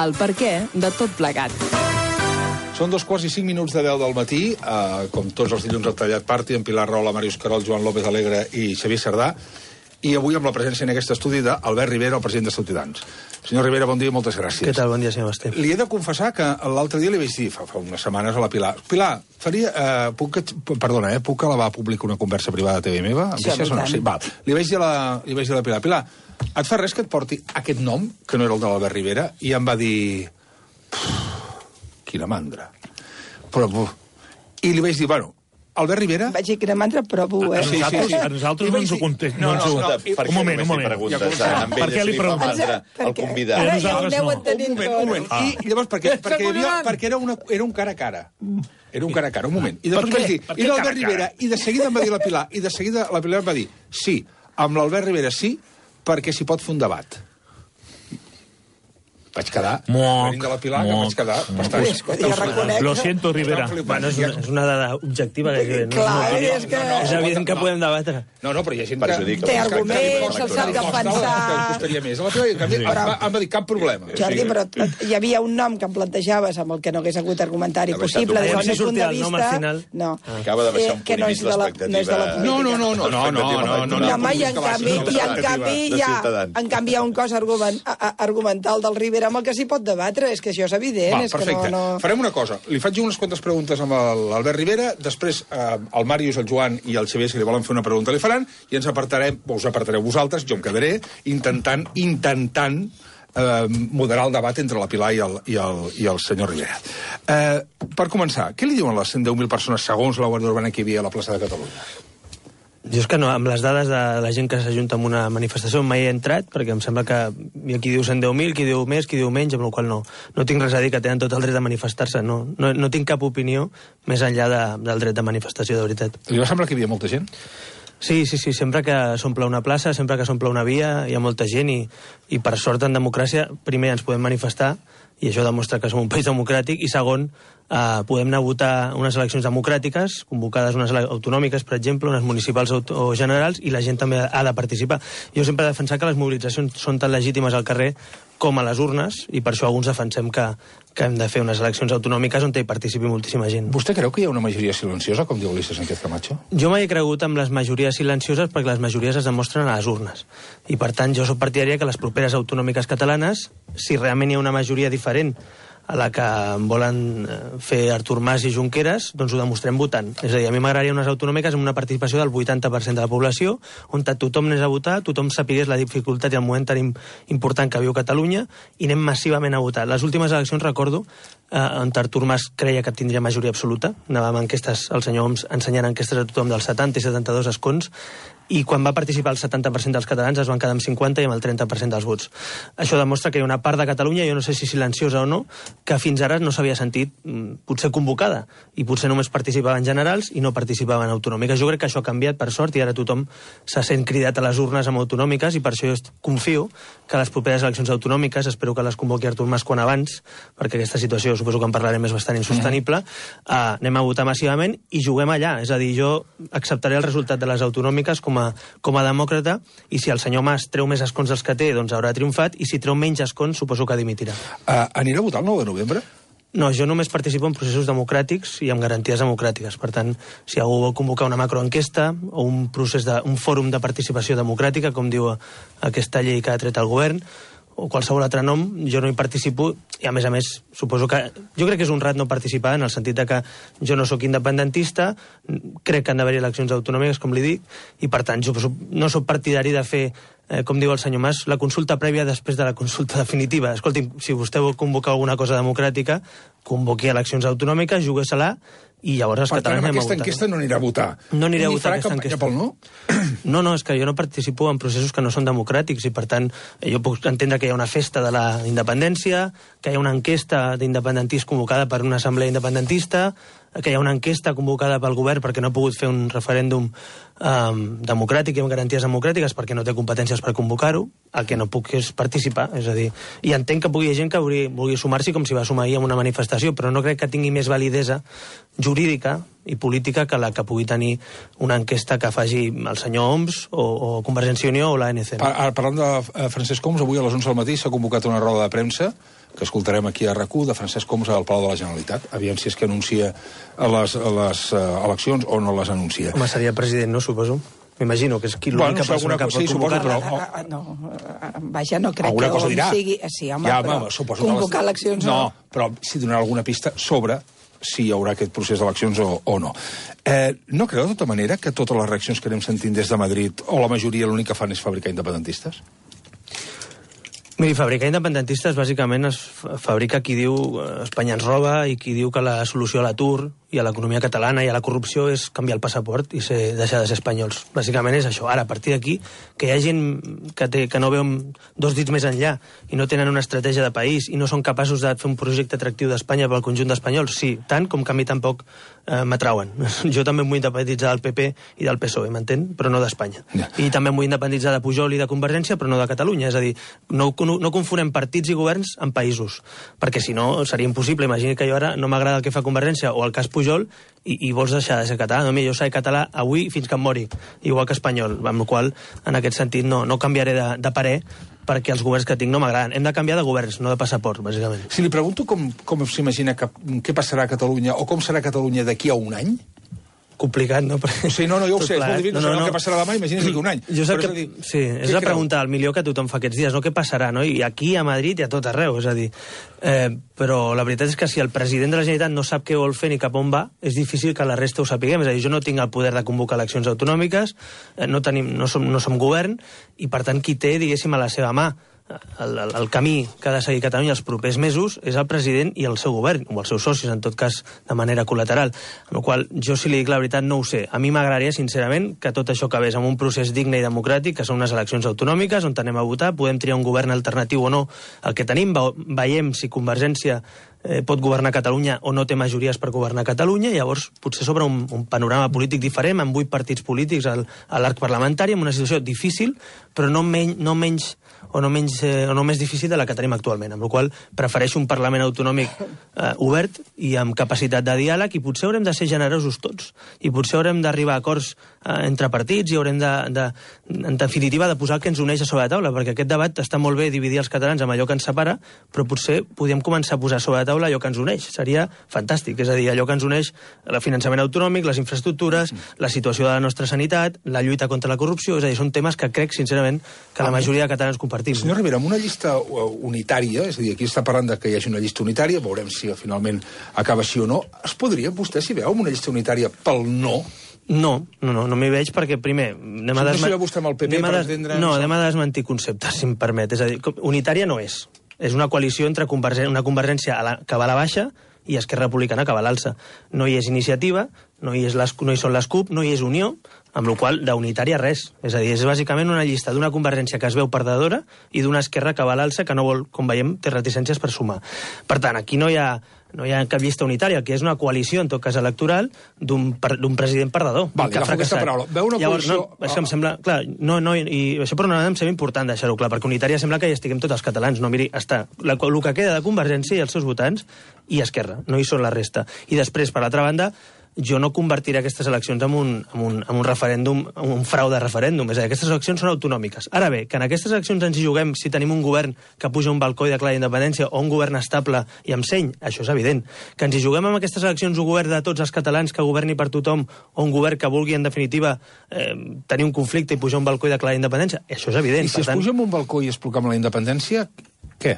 el perquè de tot plegat. Són 2:05 de 10 del matí, com tots els dilluns al Tallat Party, amb Pilar Rahola, Màrius Carol, Joan López Alegre i Xavier Cerdà, i avui amb la presència en aquest estudi d'Albert Rivera, el president de Ciutadans. Senyor Rivera, bon dia i moltes gràcies. Què tal? Bon dia, senyor Basté. Li he de confessar que l'altre dia li vaig dir, fa unes setmanes, a la Pilar, puc elevar a públic una conversa privada a TV meva? Sí, Sí, val. Li vaig dir a la Pilar, et fa res que et porti aquest nom, que no era el de l'Albert Rivera? I em va dir... Quina mandra. I li vaig dir, Albert Rivera... Vaig dir que era mandra, però A nosaltres no ens ho contestem. Un moment. Per què li preguntes? El convidat. Ara ja ho aneu entenint tot. Un moment. I llavors, perquè era un cara a cara. Era un cara a cara, un moment. I després vaig dir, i l'Albert Rivera, i de seguida em va dir la Pilar, i de seguida la Pilar em va dir, sí, amb l'Albert Rivera sí, perquè s'hi pot fer un debat. Vaig quedar, venint de la Pilar, que vaig quedar bastant... Lo siento, Rivera. Bueno, és una dada objectiva. És evident que podem debatre. No, però hi ha gent que... Té arguments, se'l sap defensar... Que costaria més. Em va dir, cap problema. Jordi, però hi havia un nom que em plantejaves amb el que no hagués hagut argumentari possible, des del meu punt de vista... No. Acaba de baixar un punt i mig l'expectativa. No, en canvi hi ha un cos argumental del Rivera amb el que s'hi pot debatre, és que això és evident. Perfecte. Farem una cosa. Li faig unes quantes preguntes amb l'Albert Rivera, després el Màrius, el Joan i el Xavier, si li volen fer una pregunta, li faran, i us apartareu vosaltres, jo em quedaré intentant moderar el debat entre la Pilar i el senyor Rivera. Per començar, què li diuen les 110.000 persones segons la Guàrdia Urbana que hi havia a la plaça de Catalunya? Jo és que no, amb les dades de la gent que s'ajunta en una manifestació mai he entrat, perquè em sembla que hi ha qui diu 110.000, qui diu més, qui diu menys, amb la qual no tinc res a dir, que tenen tot el dret de manifestar-se. No tinc cap opinió més enllà del dret de manifestació, de veritat. Li va semblar que hi havia molta gent? Sí, sempre que s'omple una plaça, sempre que s'omple una via, hi ha molta gent i per sort en democràcia, primer ens podem manifestar, i això demostra que som un país democràtic, i segon, podem anar a votar unes eleccions democràtiques, convocades unes autonòmiques, per exemple, unes municipals o generals, i la gent també ha de participar. Jo sempre he defensat que les mobilitzacions són tan legítimes al carrer com a les urnes, i per això alguns defensem que hem de fer unes eleccions autonòmiques on hi participi moltíssima gent. Vostè creu que hi ha una majoria silenciosa, com diu Ulises Sánchez Camacho? Jo mai he cregut en les majories silencioses perquè les majories es demostren a les urnes. I per tant jo soc partidària que les properes autonòmiques catalanes, si realment hi ha una majoria diferent a la que volen fer Artur Mas i Junqueras, doncs ho demostrem votant. És a dir, a mi m'agradaria unes autonòmiques amb una participació del 80% de la població, on tothom anés a votar, tothom sapigués la dificultat i el moment tan important que viu Catalunya, i anem massivament a votar. Les últimes eleccions, recordo, on Artur Mas creia que tindria majoria absoluta, anàvem amb enquestes, el senyor Homs ensenyant enquestes a tothom dels 70 i 72 escons, i quan va participar el 70% dels catalans es van quedar amb 50 i amb el 30% dels vots. Això demostra que hi ha una part de Catalunya, jo no sé si silenciosa o no, que fins ara no s'havia sentit potser convocada, i potser només participava en generals i no participava en autonòmiques. Jo crec que això ha canviat, per sort, i ara tothom se sent cridat a les urnes amb autonòmiques, i per això jo confio que les properes eleccions autonòmiques, espero que les convoqui Artur Mas quan abans, perquè aquesta situació, suposo que en parlarem, és bastant insostenible, anem a votar massivament i juguem allà. És a dir, jo acceptaré el resultat de les autonòmiques com a demòcrata, i si el senyor Mas treu més escons dels que té, doncs haurà triomfat, i si treu menys escons, suposo que dimitirà. Anirà a votar el 9 de novembre? No, jo només participo en processos democràtics i amb garanties democràtiques. Per tant, si algú vol convocar una macroenquesta o un fòrum de participació democràtica, com diu aquesta llei que ha tret el govern, o qualsevol altre nom, jo no hi participo, i a més, suposo que... Jo crec que és un rat no participar, en el sentit que jo no sóc independentista, crec que han d'haver eleccions autonòmiques, com li dic, i per tant, jo no sóc partidari de fer, com diu el senyor Mas, la consulta prèvia després de la consulta definitiva. Escolti'm, si vostè vol convocar alguna cosa democràtica, convoqui eleccions autonòmiques, jugués-la, i llavors els catalans anem a votar. Per tant, aquesta enquesta no anirà a votar. No aniré a votar aquesta enquesta. Pel no? No, és que jo no participo en processos que no són democràtics, i per tant jo puc entendre que hi ha una festa de la independència, que hi ha una enquesta d'independentista convocada per una assemblea independentista, que hi ha una enquesta convocada pel govern perquè no ha pogut fer un referèndum democràtic i amb garanties democràtiques perquè no té competències per convocar-ho. El que no puc és participar, és a dir, i entenc que pugui haver gent que vulgui sumar-s'hi com si va sumar ahir en una manifestació, però no crec que tingui més validesa jurídica i política que la que pugui tenir una enquesta que faci el senyor Homs o Convergència i Unió o l'ANC. Parlant de Francesc Homs, avui a les 11 del matí s'ha convocat una roda de premsa que escoltarem aquí a RAC1 de Francesc Homs al Palau de la Generalitat. Aviam si és que anuncia a les eleccions o no les anuncia. Home, seria president, no, suposo? M'imagino que és l'única persona que pot convocar-la. Vaja, no crec que on sigui... Sí, home, però convocar eleccions no. No, però si donarà alguna pista sobre si hi haurà aquest procés d'eleccions o no. No creu, de tota manera, que totes les reaccions que anem sentint des de Madrid, o la majoria, l'únic que fan és fabricar independentistes? Miri, fabricar independentistes, bàsicament, es fabrica qui diu Espanya ens roba i qui diu que la solució a l'atur i a l'economia catalana i a la corrupció és canviar el passaport i deixar de ser espanyols. Bàsicament és això. Ara, a partir d'aquí, que hi ha gent que no veu dos dits més enllà i no tenen una estratègia de país i no són capaços de fer un projecte atractiu d'Espanya pel conjunt d'espanyols, sí, tant com que a mi tampoc m'atrauen. Jo també em vull independitzar del PP i del PSOE, m'entén? Però no d'Espanya. Ja. I també em vull independitzar de Pujol i de Convergència, però no de Catalunya. És a dir, no confonem partits i governs en països, perquè si no seria impossible. Imagini que jo ara no m'agrada el que fa Convergència o el cas Pujol i vols deixar de ser català. No, jo seré català avui fins que em mori, igual que espanyol, amb la qual en aquest sentit no canviaré de parer perquè els governs que tinc no m'agraden. Hem de canviar de governs, no de passaport, bàsicament. Si li pregunto com s'imagina què passarà a Catalunya o com serà Catalunya d'aquí a un any? Complicat, no? Sí, no, jo ho sé, és molt difícil, no sé el que passarà demà, imagina't d'aquí un any. Jo sé que... Sí, és la pregunta al milió que tothom fa aquests dies, no? Què passarà, no? I aquí, a Madrid, i a tot arreu, és a dir... Però la veritat és que si el president de la Generalitat no sap què vol fer ni cap on va, és difícil que la resta ho sapiguem. És a dir, jo no tinc el poder de convocar eleccions autonòmiques, no som govern, i per tant qui té, diguéssim, a la seva mà el camí que ha de seguir Catalunya els propers mesos és el president i el seu govern, o els seus socis, en tot cas, de manera col·lateral. Amb la qual jo, si li dic la veritat, no ho sé. A mi m'agradaria, sincerament, que tot això acabés amb un procés digne i democràtic, que són unes eleccions autonòmiques, on anem a votar, podem triar un govern alternatiu o no. El que tenim, veiem si Convergència pot governar Catalunya o no té majories per governar Catalunya, i llavors potser s'obre un panorama polític diferent, amb 8 partits polítics a l'arc parlamentari, en una situació difícil, però no menys difícil de la que tenim actualment, amb la qual prefereixo un Parlament autonòmic obert i amb capacitat de diàleg, i potser haurem de ser generosos tots, i potser haurem d'arribar a acords entre partits, i haurem en definitiva de posar el que ens uneix a sobre la taula, perquè aquest debat està molt bé dividir els catalans amb allò que ens separa, però potser podríem començar a posar sobre la taula allò que ens uneix. Seria fantàstic, és a dir, allò que ens uneix el finançament autonòmic, les infraestructures, la situació de la nostra sanitat, la lluita contra la corrupció, és a dir, són temes que crec, sincerament, que la majoria de catalans compartim. Senyor Rivera, amb una llista unitària, és a dir, aquí està parlant de que hi hagi una llista unitària, veurem si finalment acaba així o no, es podria, vostè s'hi veu, amb una llista unitària pel no? No m'hi veig perquè, primer... No s'hi veu vostè amb el PP, per entendre... No, anem a desmentir conceptes, si em permet. És a dir, unitària no és. És una coalició entre una Convergència que va a la baixa i Esquerra Republicana que va a l'alça. No hi és iniciativa, no hi són les CUP, no hi és Unió, amb la qual d'unitària res. És a dir, és bàsicament una llista d'una Convergència que es veu perdedora i d'una Esquerra que va a l'alça que no vol, com veiem, té reticències per sumar. Per tant, aquí no hi ha cap llista unitària, que és una coalició, en tot cas electoral, d'un president perdedor. Vale, agafo aquesta paraula. Veu una coalició... Això em sembla... Clar, i això per una vegada em sembla important deixar-ho clar, perquè unitària sembla que hi estiguem tots els catalans. No, miri, està el que queda de Convergència i els seus votants i Esquerra, no hi són la resta. I després, per l'altra banda, jo no convertiré aquestes eleccions en un referèndum, en un frau de referèndum. És a dir, aquestes eleccions són autonòmiques. Ara bé, que en aquestes eleccions ens hi juguem si tenim un govern que puja un balcó i declara independència o un govern estable i amb seny, això és evident. Que ens hi juguem amb aquestes eleccions un govern de tots els catalans que governi per tothom o un govern que vulgui, en definitiva, tenir un conflicte i pujar un balcó i declarar independència, això és evident. I si es puja amb un balcó i es proclama la independència, què?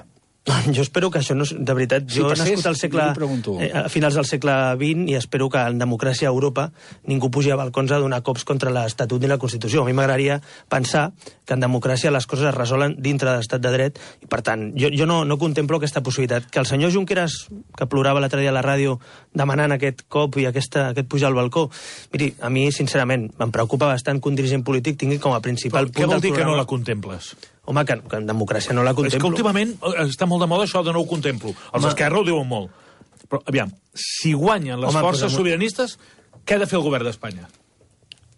Jo espero que això no... De veritat, jo he nascut a finals del segle XX i espero que en democràcia a Europa ningú pugi a balcons a donar cops contra l'Estatut ni la Constitució. A mi m'agradaria pensar que en democràcia les coses es resolen dintre de l'estat de dret i, per tant, jo no contemplo aquesta possibilitat. Que el senyor Junqueras, que plorava l'altre dia a la ràdio demanant aquest cop i aquest pujar al balcó, miri, a mi, sincerament, em preocupa bastant que un dirigent polític tingui com a principal punt del programa... Què vol dir que no la contemples? Home, que en democràcia no la contemplo. És que últimament està molt de moda això de no ho contemplo. Els d'Esquerra ho diuen molt. Però, aviam, si guanyen les forces sobiranistes, què ha de fer el govern d'Espanya?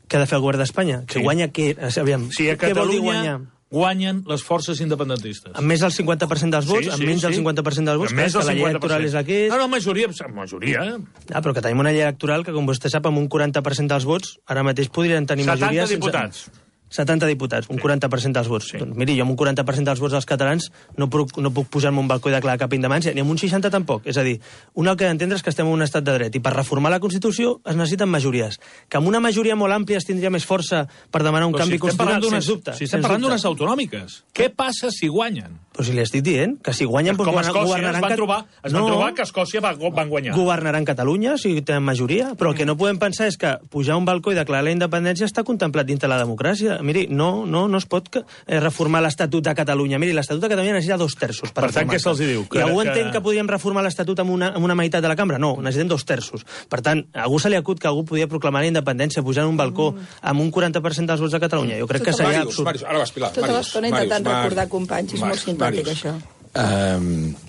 Què ha de fer el govern d'Espanya? Que guanya què? Aviam, si a Catalunya guanyen les forces independentistes. Amb més del 50% dels vots? Amb menys del 50% dels vots? Més del 50%. La llei electoral és la que és? No, majoria. Però que tenim una llei electoral que, com vostè sap, amb un 40% dels vots, ara mateix podrien tenir majoria... 70 diputats. 70 diputats, un 40% dels vots. Doncs miri, jo amb un 40% dels vots dels catalans no puc pujar-me un balcó i declarar cap independència, ni amb un 60 tampoc. És a dir, una que d'entendre és que estem en un estat de dret, i per reformar la Constitució es necessiten majories. Que amb una majoria molt àmplia es tindria més força per demanar un canvi constitucional, sens dubte. Si estem parlant d'unes autonòmiques, què passa si guanyen? Però si li estic dient, que si guanyen... Com a Escòcia, es van trobar que a Escòcia van guanyar. Governaran Catalunya, si tenen majoria, però el que no podem pensar és que pujar a un balcó i declarar la independència està contemplat dintre la democràcia. Miri, no es pot reformar l'Estatut de Catalunya. Miri, l'Estatut de Catalunya necessita 2 terços per tant, què se'ls diu? I algú entén que podríem reformar l'Estatut amb una meitat de la cambra? No, necessitem 2 terços. Per tant, a algú se li acut que algú podia proclamar la independència pujant a un balcó amb un 40% dels vots de Catalunya. Jo crec que seria absurd. Màrius, ara vas, Pilar. Tota l'estona intentant recordar companys, és molt simpàtic, això.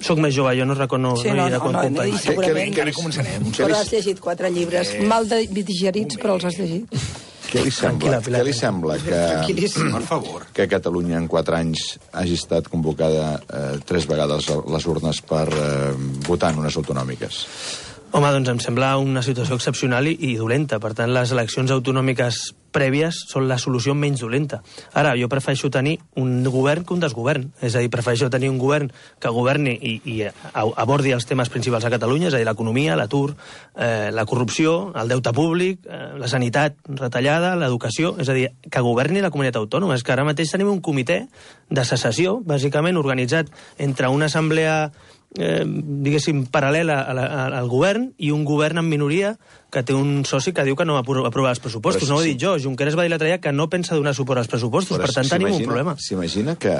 Soc més jove, jo no recordo companys. Segurament. Que començarem. Però has llegit 4 llibres, mal digerits, però els has llegit. Què li sembla que Catalunya en 4 anys hagi estat convocada 3 vegades a les urnes per votar en unes autonòmiques? Home, doncs em sembla una situació excepcional i dolenta. Per tant, les eleccions autonòmiques prèvies són la solució menys dolenta. Ara, jo prefereixo tenir un govern que un desgovern. És a dir, prefereixo tenir un govern que governi i abordi els temes principals a Catalunya, és a dir, l'economia, l'atur, la corrupció, el deute públic, la sanitat retallada, l'educació, és a dir, que governi la comunitat autònoma. És que ara mateix tenim un comitè de secessió, bàsicament organitzat entre una assemblea diguéssim, paral·lela al govern i un govern en minoria que té un soci que diu que no va aprovar els pressupostos. No ho he dit jo. Junqueras va dir l'altre dia que no pensa donar suport als pressupostos. Per tant, tenim un problema. S'imagina que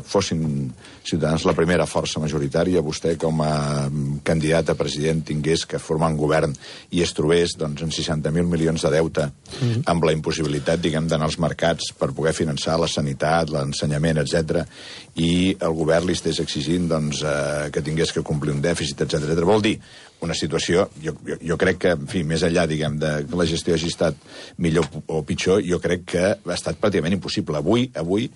fossin Ciutadans la primera força majoritària, vostè com a candidat a president tingués que formar un govern i es trobés doncs, en 60.000 milions de deute amb la impossibilitat, diguem, d'anar als mercats per poder finançar la sanitat, l'ensenyament, etc. i el govern li estés exigint doncs, que tingués que complir un dèficit, etc. Vol dir, una situació, jo crec que, en fi, més enllà, diguem, de que la gestió hagi estat millor o pitjor, jo crec que ha estat pràcticament impossible. Avui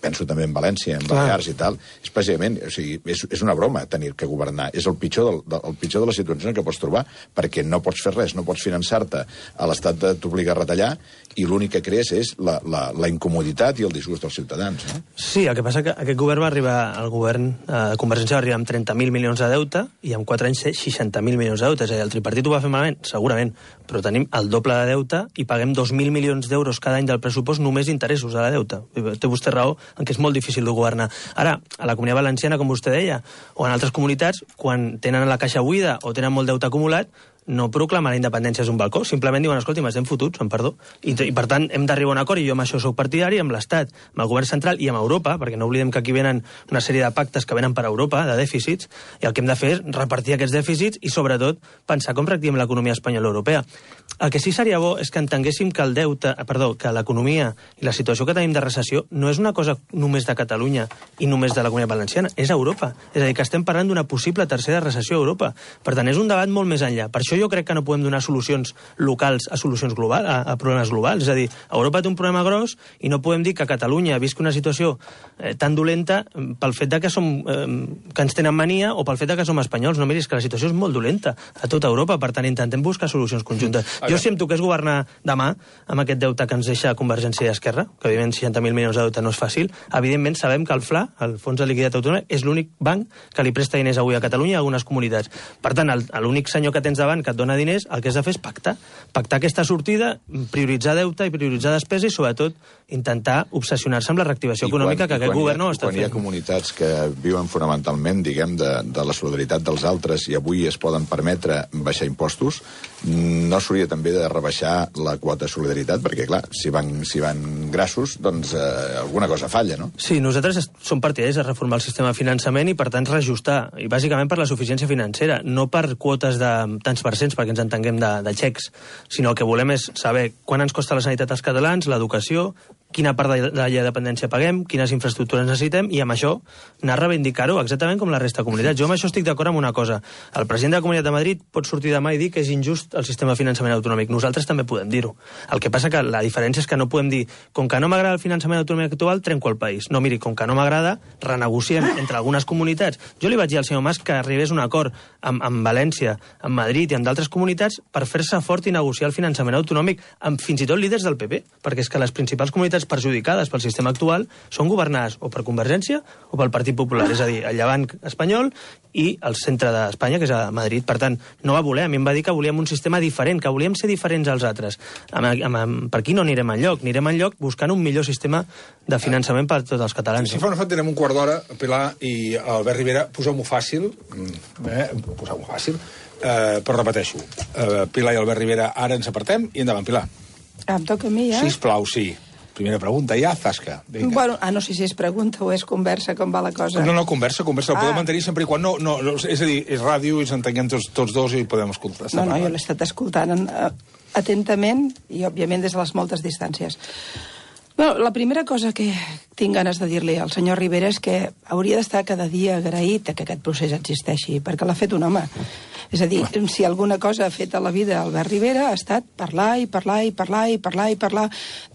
penso també en València, en Balears i tal, és pràcticament, o sigui, és una broma tenir que governar. És el pitjor de la situació que pots trobar, perquè no pots fer res, no pots finançar-te, a l'Estat t'obliga a retallar, i l'únic que crees és la incomoditat i el disgust dels ciutadans. Sí, el que passa que aquest govern va arribar, el govern de Convergència va arribar amb 30.000 milions de deute i en 4 anys 60.000 milions de deute. És a dir, el tripartit ho va fer malament? Segurament, però tenim el doble de deute i paguem 2.000 milions d'euros cada any del pressupost només d'interessos a la deute. Té vostè raó en que és molt difícil de governar. Ara, a la Comunitat Valenciana, com vostè deia, o en altres comunitats, quan tenen la caixa buida o tenen molt deute acumulat, no proclamen la independència és un balcó, simplement diuen, escolti, m'estem fotuts, amb perdó. I per tant, hem d'arribar a un acord, i jo amb això soc partidari, amb l'Estat, amb el govern central i amb Europa, perquè no oblidem que aquí venen una sèrie de pactes que venen per Europa, de dèficits, i el que hem de fer és repartir aquests dèficits i, sobretot, pensar com reactivem l'economia espanyola europea. El que sí seria bo és que entenguéssim que que l'economia i la situació que tenim de recessió no és una cosa només de Catalunya i només de la Comunitat Valenciana, és Europa. És a dir, que estem parlant d'una possible tercera recessió a Europa. Per tant, és un debat molt més enllà. Per això jo crec que no podem donar solucions locals a solucions globals, a problemes globals. És a dir, Europa té un problema gros i no podem dir que Catalunya visqui una situació tan dolenta pel fet de que ens tenen mania o pel fet de que som espanyols. No, miri, és que la situació és molt dolenta a tota Europa. Per tant, intentem buscar solucions conjuntes. Jo si em toqués governar demà amb aquest deute que ens deixa Convergència i Esquerra, que evidentment 60.000 milions de deute no és fàcil, evidentment sabem que el FLA, el Fons de Liquiditat Autonòmic, és l'únic banc que li presta diners avui a Catalunya i a algunes comunitats. Per tant, l'únic senyor que tens davant que et dona diners, el que has de fer és pactar aquesta sortida, prioritzar deute i prioritzar despesa i, sobretot, intentar obsessionar-se amb la reactivació econòmica que aquest govern no està fent. Quan hi ha comunitats que viuen fonamentalment, diguem, de la solidaritat dels altres i avui es poden permetre baixar impostos, no s'hauria també de rebaixar la quota de solidaritat, perquè, clar, si van grassos, doncs alguna cosa falla, no? Sí, nosaltres som partidaris de reformar el sistema de finançament i, per tant, reajustar, i bàsicament per la suficiència financera, no per quotes de tants percents, perquè ens entenguem de xecs, sinó el que volem és saber quant ens costa la sanitat als catalans, l'educació, quina part de la llei de dependència paguem, quines infraestructures necessitem, i amb això anar a reivindicar-ho exactament com la resta de comunitats. Jo amb això estic d'acord amb una cosa. El president de la Comunitat de Madrid pot sortir demà i dir que és injust el sistema de finançament autonòmic. Nosaltres també podem dir-ho. El que passa que la diferència és que no podem dir com que no m'agrada el finançament autonòmic actual, trenco el país. No, miri, com que no m'agrada, renegociem entre algunes comunitats. Jo li vaig dir al senyor Mas que arribés un acord amb València, amb Madrid i amb d'altres comunitats per fer-se fort i negociar el finançament autonòmic amb fins i tot líders del PP, perquè és que les principals comunitats perjudicades pel sistema actual són governades o per Convergència o pel Partit Popular, és a dir, el Llevant espanyol i el centre d'Espanya, que és a Madrid. Per tant, no va voler. A mi em va dir que volíem un sistema diferent, que volíem ser diferents als altres. Per aquí no anirem enlloc. Anirem enlloc buscant un millor sistema de finançament per a tots els catalans. Si fa una tenim un quart d'hora, Pilar i Albert Rivera, poseu-m'ho fàcil, poseu-m'ho fàcil, però repeteixo, Pilar i Albert Rivera, ara ens apartem i endavant, Pilar. Em toca a mi, ja? Sisplau, sí. Primera pregunta, ja, zasca. Bueno, no sé si és pregunta o és conversa, com va la cosa. No, conversa, ho podem mantenir sempre i quan no, és a dir, és ràdio i ens entenguem tots dos i podem escoltar. No, jo l'he estat escoltant atentament i, òbviament, des de les moltes distàncies. Bueno, la primera cosa que tinc ganes de dir-li al senyor Rivera és que hauria d'estar cada dia agraït que aquest procés existeixi, perquè l'ha fet un home. És a dir, si alguna cosa ha fet a la vida Albert Rivera ha estat parlar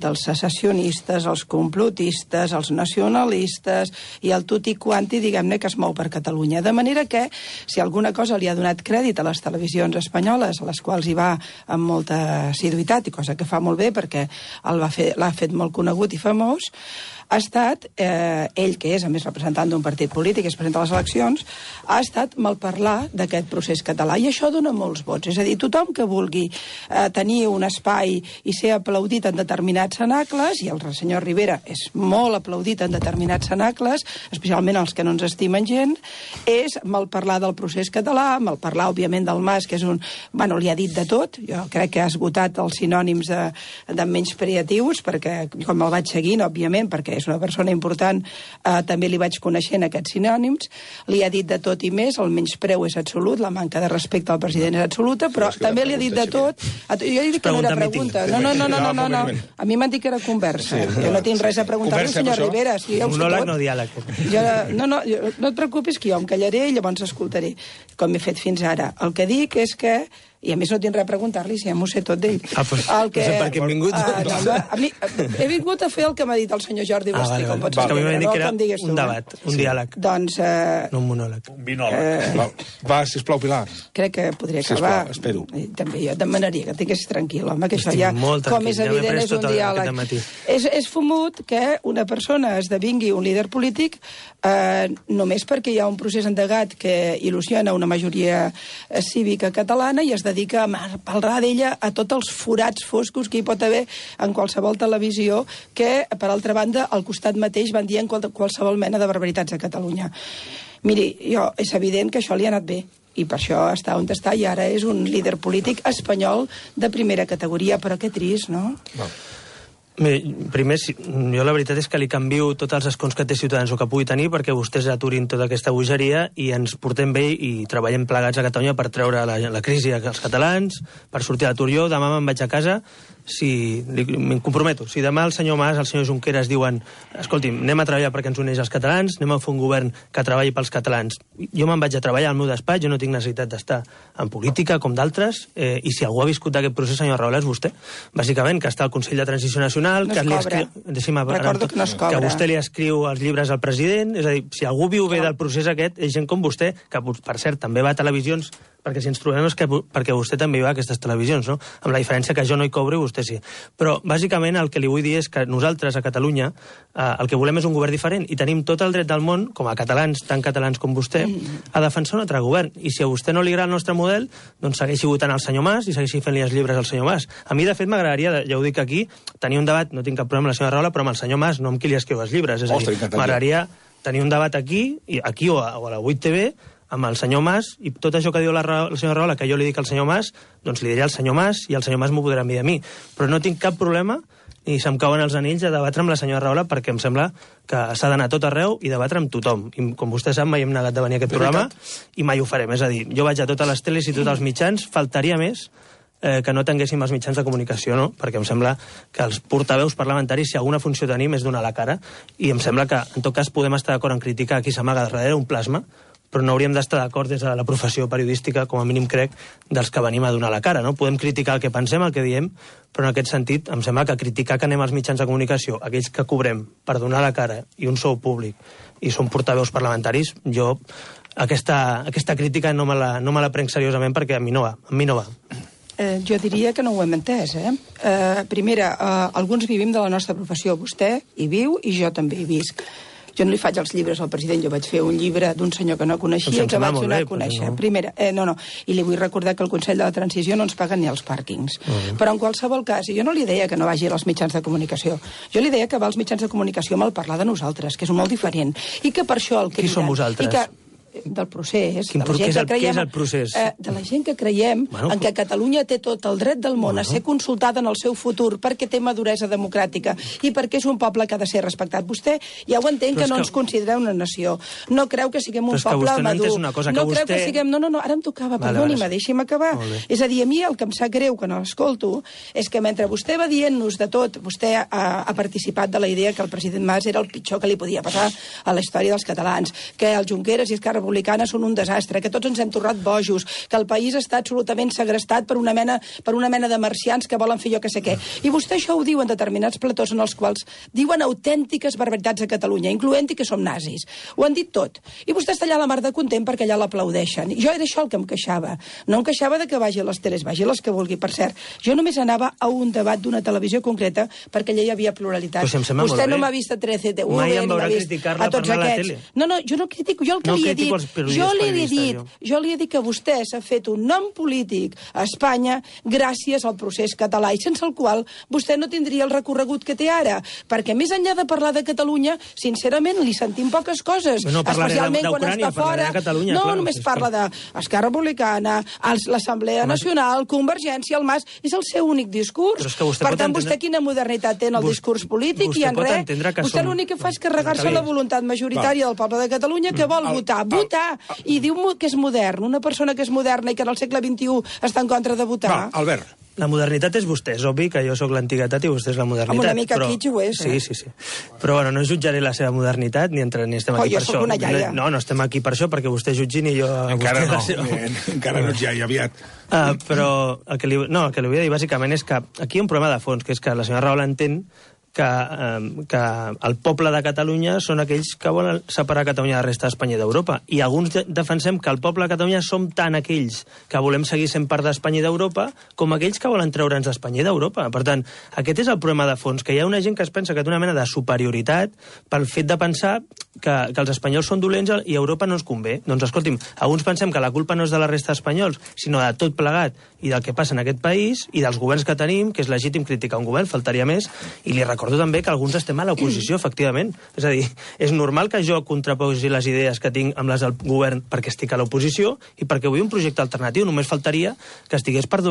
dels secessionistes, els complotistes, els nacionalistes i el tutti quanti, diguem-ne, que es mou per Catalunya. De manera que, si alguna cosa li ha donat crèdit a les televisions espanyoles, a les quals hi va amb molta assiduïtat, i cosa que fa molt bé perquè l'ha fet molt conegut i famós, ha estat, ell que és a més representant d'un partit polític, es presenta a les eleccions, ha estat malparlar d'aquest procés català, i això dona molts vots. És a dir, tothom que vulgui tenir un espai i ser aplaudit en determinats cenacles, i el senyor Rivera és molt aplaudit en determinats cenacles, especialment els que no ens estimen gent, és malparlar del procés català, malparlar, òbviament, del Mas, que és un... Bueno, li ha dit de tot, jo crec que ha esgotat els sinònims de menyspreatius, perquè, com el vaig seguint, òbviament, perquè és una persona important, també li vaig coneixent aquests sinònims, li ha dit de tot i més, el menyspreu és absolut, la manca de respecte al president és absoluta, però també li ha dit de tot. Jo he dit que no era pregunta. No. A mi m'han dit que era conversa. Jo no tinc res a preguntar-li al senyor Rivera. Monòleg, no diàleg. No et preocupis, que jo em callaré i llavors escoltaré, com he fet fins ara. El que dic és que, i a més no tinc res a preguntar-li, si ja m'ho sé tot d'ell. No sé per què hem vingut. A mi he vingut a fer el que m'ha dit el senyor Jordi Basté, com pots entendre. Que a mi m'ha dit que era un debat, un diàleg. Doncs... No un monòleg. Un binòleg. Va, sisplau, Pilar. Crec que podria acabar. Sisplau, espero. També jo demanaria que tingués tranquil, home, que això ja, com és evident, és un diàleg. És fumut que una persona esdevingui un líder polític només perquè hi ha un procés endegat que il·lusiona una majoria cívica catalana i es dedica a parlar d'ella a tots els forats foscos que hi pot haver en qualsevol televisió que, per altra banda, al costat mateix van dient qualsevol mena de barbaritats a Catalunya. Miri, és evident que això li ha anat bé i per això està on està i ara és un líder polític espanyol de primera categoria, però que trist, no? Bé, primer, jo la veritat és que li canvio tots els escons que té Ciutadans o que pugui tenir perquè vostès aturin tota aquesta bogeria i ens portem bé i treballem plegats a Catalunya per treure la crisi als catalans, per sortir a l'atur. Jo demà me'n vaig a casa, me'n comprometo. Si demà el senyor Mas, el senyor Junqueras diuen escolti'm, anem a treballar perquè ens uneix els catalans, anem a fer un govern que treballi pels catalans. Jo me'n vaig a treballar al meu despatx, jo no tinc necessitat d'estar en política com d'altres, i si algú ha viscut aquest procés, senyor Rahola, és vostè. Bàsicament, que està al Consell de Transició Nacional, no que vostè li escriu els llibres al president, és a dir, si algú viu bé del procés aquest, és gent com vostè, que per cert també va a televisions, perquè si ens trobem és perquè vostè també hi va a aquestes televisions, no? Amb la diferència que jo no hi cobro i vostè sí. Però, bàsicament, el que li vull dir és que nosaltres, a Catalunya, el que volem és un govern diferent i tenim tot el dret del món, com a catalans, tan catalans com vostè, a defensar un altre govern. I si a vostè no li agrada el nostre model, doncs segueixi votant al senyor Mas i segueixi fent-li els llibres al senyor Mas. A mi, de fet, m'agradaria, ja ho dic aquí, tenir un debat, no tinc cap problema amb la senyora Rahola, però amb el senyor Mas, no amb qui li escriu els llibres. És a dir, m'agradaria tenir un debat aquí o a la 8TV, amb el senyor Mas, i tot això que diu la senyora Rahola, que jo li dic al senyor Mas, doncs li diré al senyor Mas, i el senyor Mas m'ho podrà dir a mi. Però no tinc cap problema, ni se'm cauen els anells, a debatre amb la senyora Rahola, perquè em sembla que s'ha d'anar tot arreu i debatre amb tothom. I com vostè sap, mai hem negat de venir a aquest programa, i mai ho farem. És a dir, jo vaig a totes les teles i tots els mitjans, faltaria més que no tinguéssim els mitjans de comunicació, no? Perquè em sembla que els portaveus parlamentaris, si alguna funció tenim, és donar la cara, i em sembla que, en tot cas, podem estar d'acord en criticar qui s'amaga darrere un plasma, però no hauríem d'estar d'acord des de la professió periodística, com a mínim crec, dels que venim a donar la cara, no? Podem criticar el que pensem, el que diem, però en aquest sentit em sembla que criticar que anem als mitjans de comunicació, aquells que cobrem per donar la cara i un sou públic i són portaveus parlamentaris, jo aquesta crítica no me la prenc seriosament perquè a mi no va. Jo diria que no ho hem entès, Primera, alguns vivim de la nostra professió. Vostè hi viu i jo també hi visc. Jo no li faig els llibres al president, jo vaig fer un llibre d'un senyor que no coneixia, que vaig donar a conèixer. Primera, i li vull recordar que el Consell de la Transició no ens paguen ni els pàrquings. Però en qualsevol cas, jo no li deia que no vagi als mitjans de comunicació, jo li deia que va als mitjans de comunicació amb el parlar de nosaltres, que és molt diferent, i que per això el criden... Qui som vosaltres? Del procés, què és el procés? De la gent que creiem en que Catalunya té tot el dret del món a ser consultada en el seu futur perquè té maduresa democràtica i perquè és un poble que ha de ser respectat. Vostè ja ho entén que no ens considera una nació. No creu que siguem un poble madur. No creu que siguem... No, ara em tocava, perdoni-me, deixi'm acabar. És a dir, a mi el que em sap greu quan l'escolto és que mentre vostè va dient-nos de tot, vostè ha participat de la idea que el president Mas era el pitjor que li podia passar a la història dels catalans, que el Junqueras i Esquerra Republicana són un desastre, que tots ens hem tornat bojos, que el país està absolutament segrestat per una mena de marcians que volen fer jo que sé què. I vostè això ho diu en determinats platós en els quals diuen autèntiques barbaritats a Catalunya, incloent-hi que som nazis. Ho han dit tot. I vostè està allà a la mar de content perquè allà l'aplaudeixen. I jo era això el que em queixava. No em queixava de que vagi a les teles, vagi a les que vulgui. Per cert, jo només anava a un debat d'una televisió concreta perquè allà hi havia pluralitat. Vostè no m'ha vist a 13TV, mai em veurà criticar-la per anar a la tele. No, jo no critico, jo el que li he dit... Jo li he dit que vostè s'ha fet un nom polític a Espanya gràcies al procés català i sense el qual vostè no tindria el recorregut que té ara, perquè més enllà de parlar de Catalunya, sincerament li sentim poques coses, especialment quan està fora. No, només parla d'Esquerra Republicana, l'Assemblea Nacional, Convergència, el MAS, és el seu únic discurs. Per tant, vostè quina modernitat té en el discurs polític i en res. Vostè l'únic que fa és carregar-se la voluntat majoritària del poble de Catalunya que vol votar, i diu que és modern. Una persona que és moderna i que en el segle XXI està en contra de votar. Va, Albert. La modernitat és vostè, és obvi que jo sóc l'antiguitat i vostè és la modernitat. Amb una mica kitsch ho és, Sí. Però bueno, no jutjaré la seva modernitat ni estem aquí per això. Jo sóc una iaia. No estem aquí per això, perquè vostè jutgi ni jo... Encara no ets iaia, aviat. Però el que li vull dir bàsicament és que aquí hi ha un problema de fons, que és que la senyora Rahola entén que el poble de Catalunya són aquells que volen separar Catalunya de la resta d'Espanya i d'Europa. I alguns defensem que el poble de Catalunya som tant aquells que volem seguir sent part d'Espanya i d'Europa com aquells que volen treure'ns d'Espanya i d'Europa. Per tant, aquest és el problema de fons, que hi ha una gent que es pensa que té una mena de superioritat pel fet de pensar que els espanyols són dolents i Europa no ens convé. Doncs escolti'm, alguns pensem que la culpa no és de la resta d'espanyols, sinó de tot plegat i del que passa en aquest país i dels governs que tenim, que és legítim criticar un govern, faltaria més, i li recordo també que alguns estem a l'oposició, efectivament. És a dir, és normal que jo contraposi les idees que tinc amb les del govern perquè estic a l'oposició i perquè vull un projecte alternatiu. Només faltaria que estigués per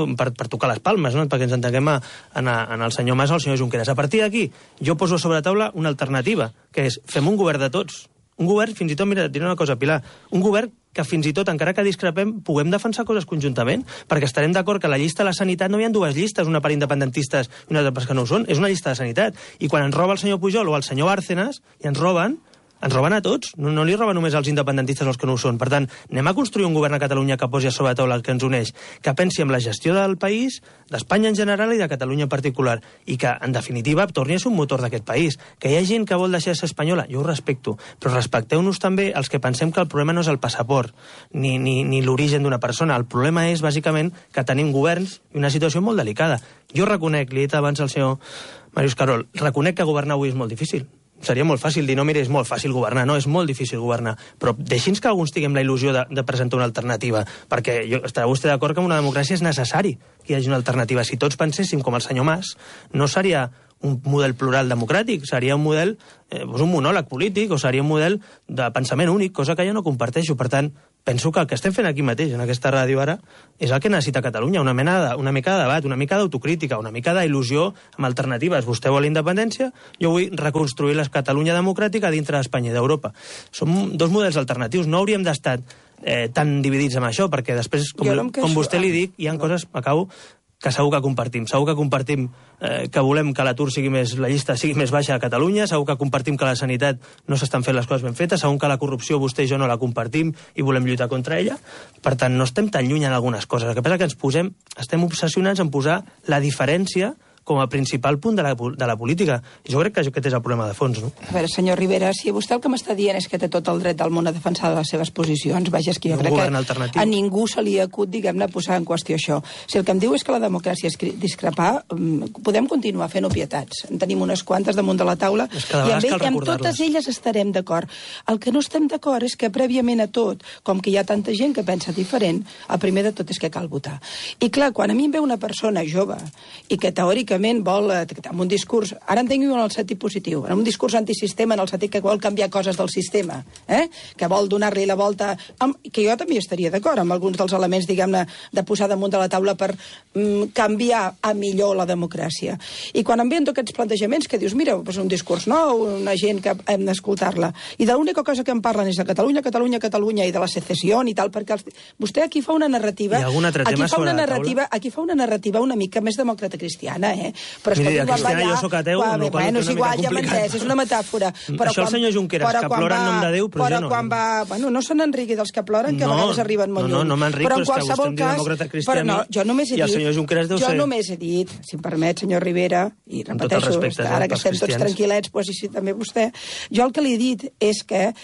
tocar les palmes, no? Perquè ens entenguem en el senyor Mas o el senyor Junqueras. A partir d'aquí, jo poso sobre la taula una alternativa, que és fem un govern de tots. Un govern, fins i tot, mira, et diré una cosa, Pilar, un govern que fins i tot, encara que discrepem, puguem defensar coses conjuntament, perquè estarem d'acord que a la llista de la sanitat no hi ha dues llistes, una per independentistes i una altra que no ho són, és una llista de sanitat. I quan ens roba el senyor Pujol o el senyor Bárcenas, i ens roben a tots, no li roben només als independentistes els que no ho són. Per tant, anem a construir un govern a Catalunya que posi a sobre la taula el que ens uneix, que pensi en la gestió del país, d'Espanya en general i de Catalunya en particular, i que, en definitiva, torni a ser un motor d'aquest país. Que hi ha gent que vol deixar de ser espanyola, jo ho respecto, però respecteu-nos també els que pensem que el problema no és el passaport, ni l'origen d'una persona. El problema és, bàsicament, que tenim governs i una situació molt delicada. Jo reconec, li he dit abans al senyor Màrius Carol, reconec que governar avui és molt difícil. Seria molt fàcil dir, no, mira, és molt fàcil governar. No, és molt difícil governar. Però deixi'ns que alguns tinguem la il·lusió de presentar una alternativa, perquè estarà vostè d'acord que en una democràcia és necessari que hi hagi una alternativa. Si tots penséssim com el senyor Mas, no seria un model plural democràtic, seria un model, un monòleg polític, o seria un model de pensament únic, cosa que jo no comparteixo. Per tant, penso que el que estem fent aquí mateix, en aquesta ràdio ara, és el que necessita Catalunya, una mica de debat, una mica d'autocrítica, una mica d'il·lusió amb alternatives. Vostè vol independència, jo vull reconstruir la Catalunya democràtica dintre d'Espanya i d'Europa. Som dos models alternatius, no hauríem d'estar tan dividits amb això, perquè després, com vostè li dic, hi ha coses, acabo, que segur que compartim. Segur que compartim que volem que l'atur sigui la llista sigui més baixa a Catalunya, segur que compartim que la sanitat no s'estan fent les coses ben fetes, segur que la corrupció vostè i jo no la compartim i volem lluitar contra ella. Per tant, no estem tan lluny en algunes coses. El que passa és que estem obsessionats en posar la diferència com a principal punt de la política. Jo crec que aquest és el problema de fons, no? A veure, senyor Rivera, si vostè el que m'està dient és que té tot el dret del món a defensar les seves posicions, vaja, és que jo crec que a ningú se li acut, diguem-ne, posar en qüestió això. Si el que em diu és que la democràcia és discrepar, podem continuar fent obvietats. En tenim unes quantes damunt de la taula i amb totes elles estarem d'acord. El que no estem d'acord és que prèviament a tot, com que hi ha tanta gent que pensa diferent, el primer de tot és que cal votar. I clar, quan a mi em ve una persona jove i que teòricament vol, amb un discurs, ara entenc-ho en el sentit positiu, en un discurs antisistema, en el sentit que vol canviar coses del sistema, que vol donar-li la volta, que jo també estaria d'acord amb alguns dels elements, diguem-ne, de posar damunt de la taula per canviar a millor la democràcia. I quan em ven aquests plantejaments que dius, mira, és un discurs nou, una gent que hem d'escoltar-la, i de l'única cosa que em parlen és de Catalunya, Catalunya, Catalunya, i de la secessió i tal, perquè vostè aquí fa una narrativa... Aquí fa una narrativa una mica més demòcrata cristiana, Però miri, cristiana, jo soc ateu, amb la qual és igual, ja m'entès, és una metàfora. Això el senyor Junqueras, que plora en nom de Déu, però jo no. Quan va... Bueno, no se n'enrigui dels que ploren, que a vegades arriben molt lluny. No m'enric, però és que vostè em diu demòcrata cristiana i el senyor Junqueras deu ser... Jo només he dit, si em permet, senyor Rivera, i repeteixo, ara que estem tots tranquil·lets, doncs sí, també vostè, jo el que li he dit és que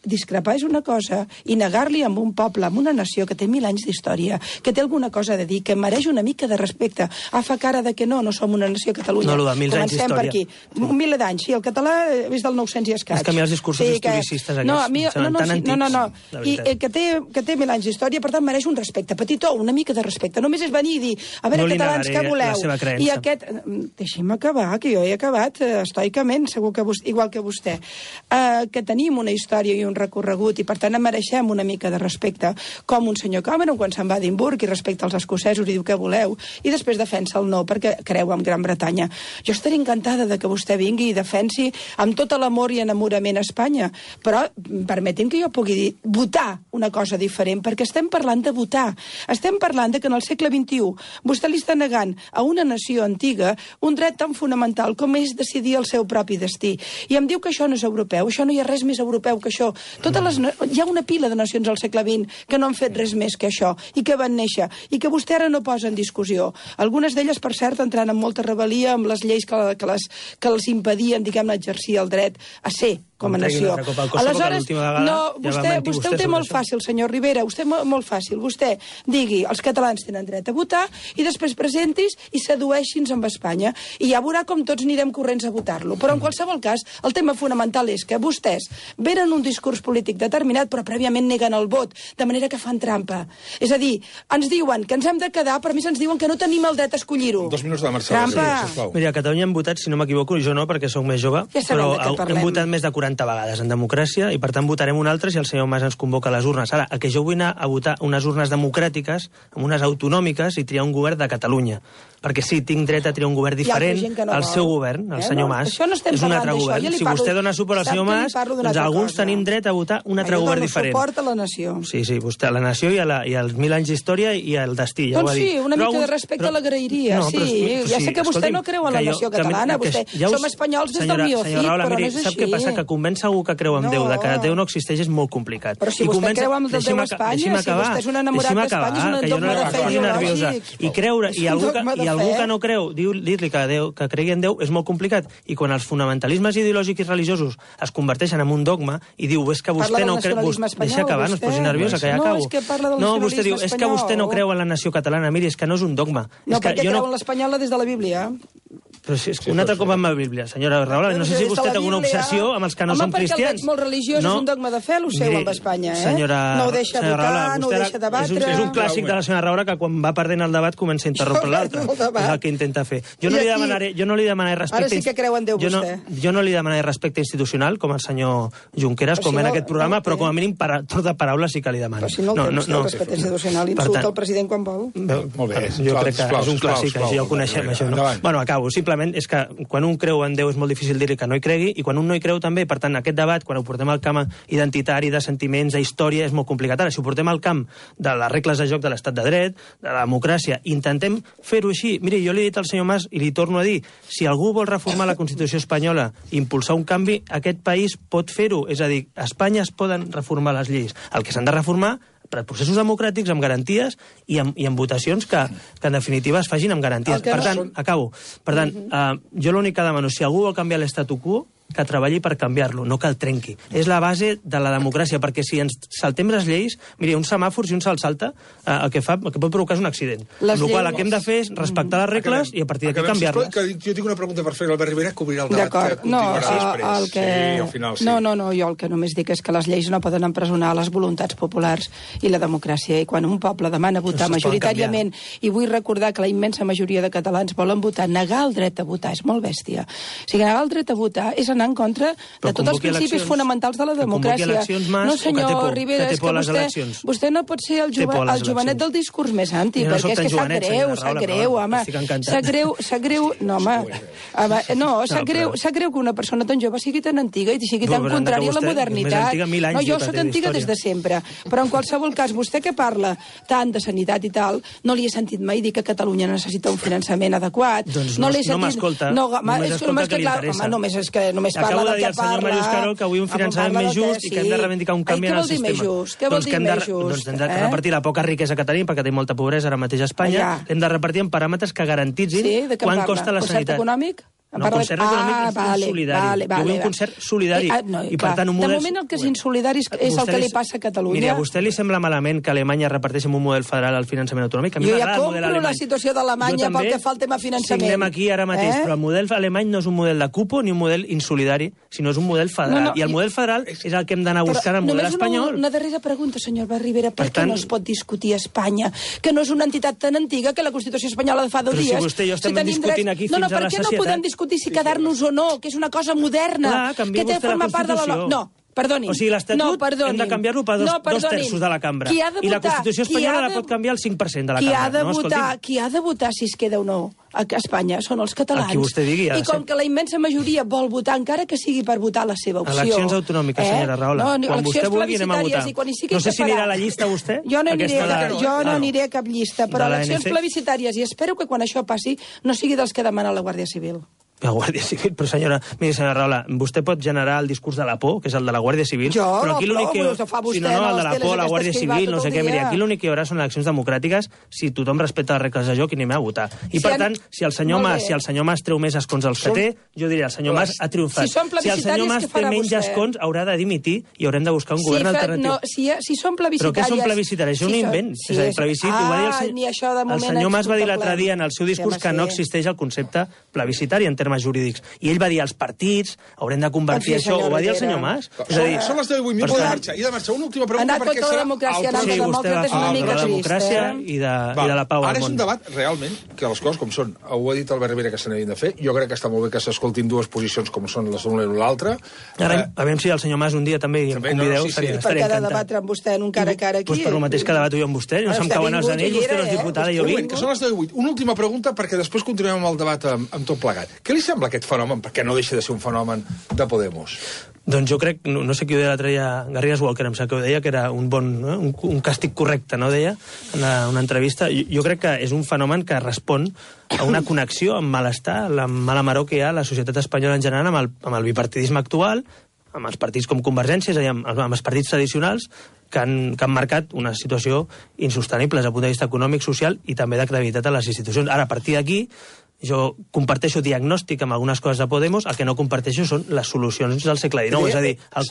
discrepar és una cosa i negar-li a un poble, a una nació que té 1000 anys d'història, que té alguna cosa a dir, que mereix una mica de respecte, fa cara de que no som una nació a Catalunya. No, de 1000 anys d'història. Comencem per aquí. 1000 d'anys, sí, el català és del 900 i escaig. És que a mi els discursos historicistes aquests seran tan antics. No. I que té 1000 anys d'història, per tant, mereix un respecte. Petitó, una mica de respecte. Només és venir i dir, a veure, catalans, què voleu? I aquest... Deixi'm acabar, que jo he acabat estoicament, segur que igual que vostè. Que tenim una història i un recorregut i, per tant, mereixem una mica de respecte, com un senyor Cameron quan se'n va a Edimburg i respecta els escocesos i diu què voleu, i després defensa el no perquè creu en Gran Bretanya. Jo estaré encantada de que vostè vingui i defensi amb tot l'amor i enamorament a Espanya, però permeti'm que jo pugui votar una cosa diferent, perquè estem parlant de votar. Estem parlant de que en el segle XXI vostè li està negant a una nació antiga un dret tan fonamental com és decidir el seu propi destí. I em diu que això no és europeu, això no hi ha res més europeu que això. Hi ha una pila de nacions al segle XX que no han fet res més que això, i que van néixer, i que vostè ara no posa en discussió. Algunes d'elles, per cert, entrant en molta rebel·lia amb les lleis que els impedien, diguem-ne, exercir el dret a ser com a nació. Aleshores, vostè ho té molt fàcil, senyor Rivera, vostè molt fàcil. Vostè digui, els catalans tenen dret a votar, i després presentis i sedueixi'ns amb Espanya. I ja veurà com tots anirem corrents a votar-lo. Però en qualsevol cas, el tema fonamental és que vostès venen un discurs polític determinat, però prèviament neguen el vot, de manera que fan trampa. És a dir, ens diuen que ens hem de quedar, però a més ens diuen que no tenim el dret a escollir-ho. 2 minuts de Marcel. Trampa! Mira, a Catalunya hem votat, si no m'equivoco, jo no, perquè sóc més jove, però hem votat més de 40 vegades en democràcia i per tant votarem un altre si el senyor Mas ens convoca a les urnes. Ara, el que jo vull anar a votar unes urnes democràtiques, amb unes autonòmiques, i triar un govern de Catalunya. Perquè sí, tinc dret a triar un govern diferent al seu govern, el senyor Mas. És un altre govern. Si vostè dona suport al senyor Mas, doncs alguns tenim dret a votar un altre govern diferent. Jo dono suport a la nació. Sí, vostè, a la nació i als 1000 anys d'història i al destí, ja ho ha dit. Doncs sí, una mica de respecte l'agrairia, sí. Ja sé que vostè no creu en la nació catalana, som espanyols des del miocid, però no és així. Sap què passa? Que convèncer algú que creu en Déu, de que Déu no existeix, és molt complicat. Però si vostè creu en Déu a Espanya, si vostè és un enamorat d'Espanya, és un dogma de fe ideològic. I creure, i algú que no creu, dir-li que cregui en Déu és molt complicat. I quan els fonamentalismes ideològics i religiosos es converteixen en un dogma i diu, és que vostè no creu... Deixa acabar, no es posi nerviosa, que ja acabo. No, vostè diu, és que vostè no creu en la nació catalana. Miri, és que no és un dogma. No, perquè creu en l'espanyola des de la Bíblia. Però si és un altre cop amb la Bíblia, senyora Rahola, no sé si vostè té alguna obsessió amb els que no són cristians. Home, perquè el veig molt religiós, és un dogma de fe, el seu, amb Espanya, No ho deixa votar, no ho deixa debatre... És un clàssic de la senyora Rahola que quan va perdent el debat comença a interrompre l'altre. És el que intenta fer. Jo no li demanaré respecte... Ara sí que creu en Déu, vostè. Jo no li demanaré respecte institucional, com el senyor Junqueras, com en aquest programa, però com a mínim tot de paraules sí que li demano. Però si no el té, el respecte institucional, insulta el president quan vol. Molt bé. Jo crec que és un clàssic, ja ho coneixem, això. Bueno, acabo. Simplement simplement és que quan un creu en Déu és molt difícil dir-li que no hi cregui, i quan un no hi creu també, per tant, aquest debat, quan ho portem al camp identitari, de sentiments, de història, és molt complicat. Ara, si ho portem al camp de les regles de joc de l'estat de dret, de la democràcia, intentem fer-ho així. Miri, jo li he dit al senyor Mas, i li torno a dir, si algú vol reformar la Constitució espanyola, impulsar un canvi, aquest país pot fer-ho. És a dir, a Espanya es poden reformar les lleis. El que s'han de reformar per processos democràtics, amb garanties i amb votacions que en definitiva es facin amb garanties. Per tant, acabo. Per tant, jo l'únic que demano, si algú vol canviar l'estatu quo, que treballi per canviar-lo, no que el trenqui. És la base de la democràcia, perquè si ens saltem les lleis, miri, un semàfor, si un se'l salta, el que pot provocar és un accident. Amb la qual el que hem de fer és respectar les regles i a partir d'aquí canviar-les. Jo tinc una pregunta per fer l'Albert Rivera, que obrirà el debat que continuarà després. Sí, al final, sí. No, jo el que només dic és que les lleis no poden empresonar les voluntats populars i la democràcia, i quan un poble demana votar majoritàriament, i vull recordar que la immensa majoria de catalans volen votar, negar el dret a votar és molt bèstia. O sigui, negar el dret a votar és anar en contra de tots els principis fonamentals de la democràcia. No, senyor Rivera, és que vostè no pot ser el jovenet del discurs més anti, perquè és que sap greu, home. Sap greu, no, home. Sap greu que una persona tan jove sigui tan antiga i sigui tan contrària a la modernitat. No, jo soc antiga des de sempre, però en qualsevol cas, vostè que parla tant de sanitat i tal, no li he sentit mai dir que Catalunya necessita un finançament adequat. Doncs no m'escolta. Només escolta que li interessa. Només parla acabo de del dir que al senyor Màrius Carol que avui un finançament més just i que hem de reivindicar un canvi en el sistema. Què vol dir més just? Doncs hem de repartir la poca riquesa que tenim, perquè tenim molta pobresa ara mateix a Espanya, hem de repartir en paràmetres que garantitzin quant costa la sanitat. Concert econòmic? No, concert econòmic és insolidari. Jo vull un concert solidari. I per tant, un model... De moment el que és insolidari és el que li passa a Catalunya. Mira, a vostè li sembla malament que Alemanya reparteixi amb un model federal el finançament autonòmic? Jo ja compro la situació d'Alemanya pel que fa al tema finançament. Signem aquí ara mateix, però el model alemany no és un model de cupo ni un model insolidari, sinó és un model federal. I el model federal és el que hem d'anar buscant al model espanyol. Només una darrera pregunta, senyor Rivera. Per què no es pot discutir a Espanya, que no és una entitat tan antiga que la Constitució espanyola de fa 2 dies? Però si vostè i jo estem discutint aquí fins a la sacietat. Per què no podem discutir si quedar-nos o no, que és una cosa moderna, que té forma part de la... No, perdoni. O sigui, l'Estatut hem de canviar-lo per dos terços de la cambra. I la Constitució espanyola la pot canviar el 5% de la cambra. Qui ha de votar si es queda o no a Espanya són els catalans. Qui vostè digui. I com que la immensa majoria vol votar, encara que sigui per votar la seva opció... Eleccions autonòmiques, senyora Rahola. Quan vostè vulgui anem a votar. No sé si anirà a la llista vostè. Jo no aniré a cap llista, però eleccions plebiscitàries, i espero que quan això passi no sigui dels que demana la Guàrdia Civil. La Guàrdia Civil, però senyora Rahola, vostè pot generar el discurs de la por, que és el de la Guàrdia Civil, però aquí l'únic que... Si no, el de la por, la Guàrdia Civil, no sé què, mira, aquí l'únic que hi haurà són eleccions democràtiques si tothom respecta les regles de joc i anem a votar. I per tant, si el senyor Mas treu més escons dels que té, jo diria, el senyor Mas ha triomfat. Si el senyor Mas té menys escons, haurà de dimitir i haurem de buscar un govern alternatiu. Si són plebiscitàries... Però què són plebiscitàries? És un invent. És a dir, plebiscit, ho va dir el senyor Mas va dir l'altre dia en el seu discurs que no existeix el concepte plebiscitari en termes jurídics. I ell va dir als partits, haurem de convertir això, ho va dir el senyor Mas. Són les 10:08 minuts de marxa. I de marxa, una última pregunta, perquè serà... Sí, vostè va fer de la democràcia i de la pau al món. Ara és un debat, realment, que les coses com són. Ho ha dit Albert Rivera que se n'havien de fer. Jo crec que està molt bé que s'escoltin dues posicions com són les d'una i l'altra. A veure si el senyor Mas un dia també em convideu. Per què de debatre amb vostè en un cara a cara aquí? Per el mateix que debato jo amb vostè. No se'm cauen els anells, vostè no és diputada i jo vinc. Que són les 10:08. Una última pregunta, perquè després continuem amb el debat amb tot plegat. Què li sembla aquest fenomen? Perquè no deixa de ser un fenomen de Podemos. Doncs jo crec, no sé qui ho deia l'altre dia, Garrigues Walker, em sap que ho deia, que era un càstig correcte, no, deia, en una entrevista. Jo crec que és un fenomen que respon a una connexió amb malestar, la mala maror que hi ha a la societat espanyola en general amb el bipartidisme actual, amb els partits com Convergència, és a dir, amb els partits tradicionals, que han marcat una situació insostenible des del punt de vista econòmic, social i també de credibilitat a les institucions. Ara, a partir d'aquí, jo comparteixo diagnòstic amb algunes coses de Podemos, el que no comparteixo són les solucions del segle XIX, és a dir, el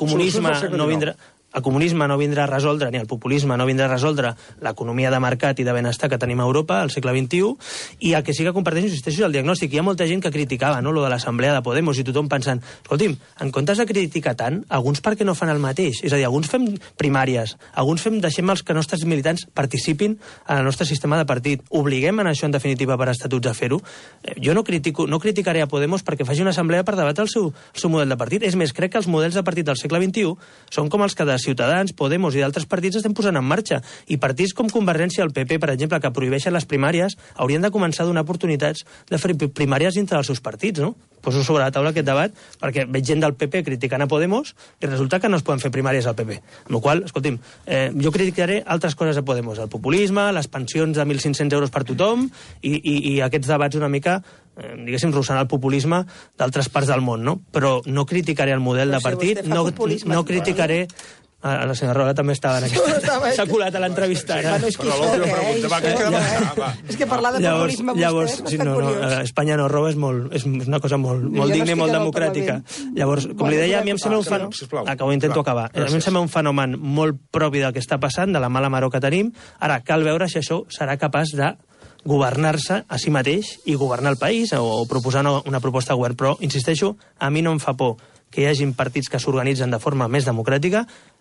comunisme no vindrà a resoldre, ni el populisme no vindrà a resoldre l'economia de mercat i de benestar que tenim a Europa al segle XXI, i el que sí que comparteixo, insisteixo, és el diagnòstic. Hi ha molta gent que criticava, no?, lo de l'assemblea de Podemos, i tothom pensant, escolti'm, en comptes de criticar tant, alguns per què no fan el mateix? És a dir, alguns fem primàries, alguns deixem els que nostres militants participin en el nostre sistema de partit, obliguem en això, en definitiva, per estatuts a fer-ho. Jo no criticaré a Podemos perquè faci una assemblea per debatre el seu model de partit. És més, crec que els models de partit del segle XXI són com els que Ciutadans, Podemos i d'altres partits estem posant en marxa. I partits com Convergència i el PP, per exemple, que prohibeixen les primàries, haurien de començar a donar oportunitats de fer primàries dintre dels seus partits, no? Poso sobre la taula aquest debat, perquè veig gent del PP criticant a Podemos i resulta que no es poden fer primàries al PP. Amb la qual cosa, escolti'm, jo criticaré altres coses a Podemos, el populisme, les pensions de 1.500 euros per tothom i aquests debats una mica, diguéssim, russant el populisme d'altres parts del món, no? Però no criticaré el model de partit, no criticaré... La senyora Rola també estava en aquesta... S'ha colat a l'entrevista. És que parlar de populisme vostè és bastant curiós. Espanya no roba és una cosa molt digna i molt democràtica. Llavors, com li deia, a mi em sembla un fenomen... Intento acabar. A mi em sembla un fenomen molt propi del que està passant, de la mala maror que tenim. Ara, cal veure si això serà capaç de governar-se a si mateix i governar el país o proposar una proposta de govern. Però, insisteixo, a mi no em fa por que hi hagin partits que s'organitzen de forma més democràtica,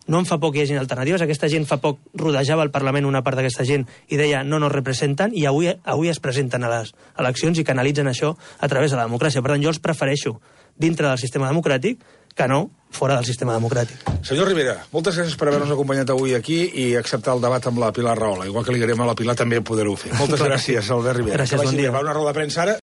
no em fa por que hi hagin alternatives. Aquesta gent fa poc rodejava al Parlament una part d'aquesta gent i deia no nos representen, i avui es presenten a les eleccions i canalitzen això a través de la democràcia. Per tant, jo els prefereixo dintre del sistema democràtic que no fora del sistema democràtic. Senyor Rivera, moltes gràcies per haver-nos acompanyat avui aquí i acceptar el debat amb la Pilar Rahola. Igual que li agraïm a la Pilar també poder-ho fer. Moltes gràcies, Albert Rivera. Gràcies, bon dia. Va una roda de premsa ara.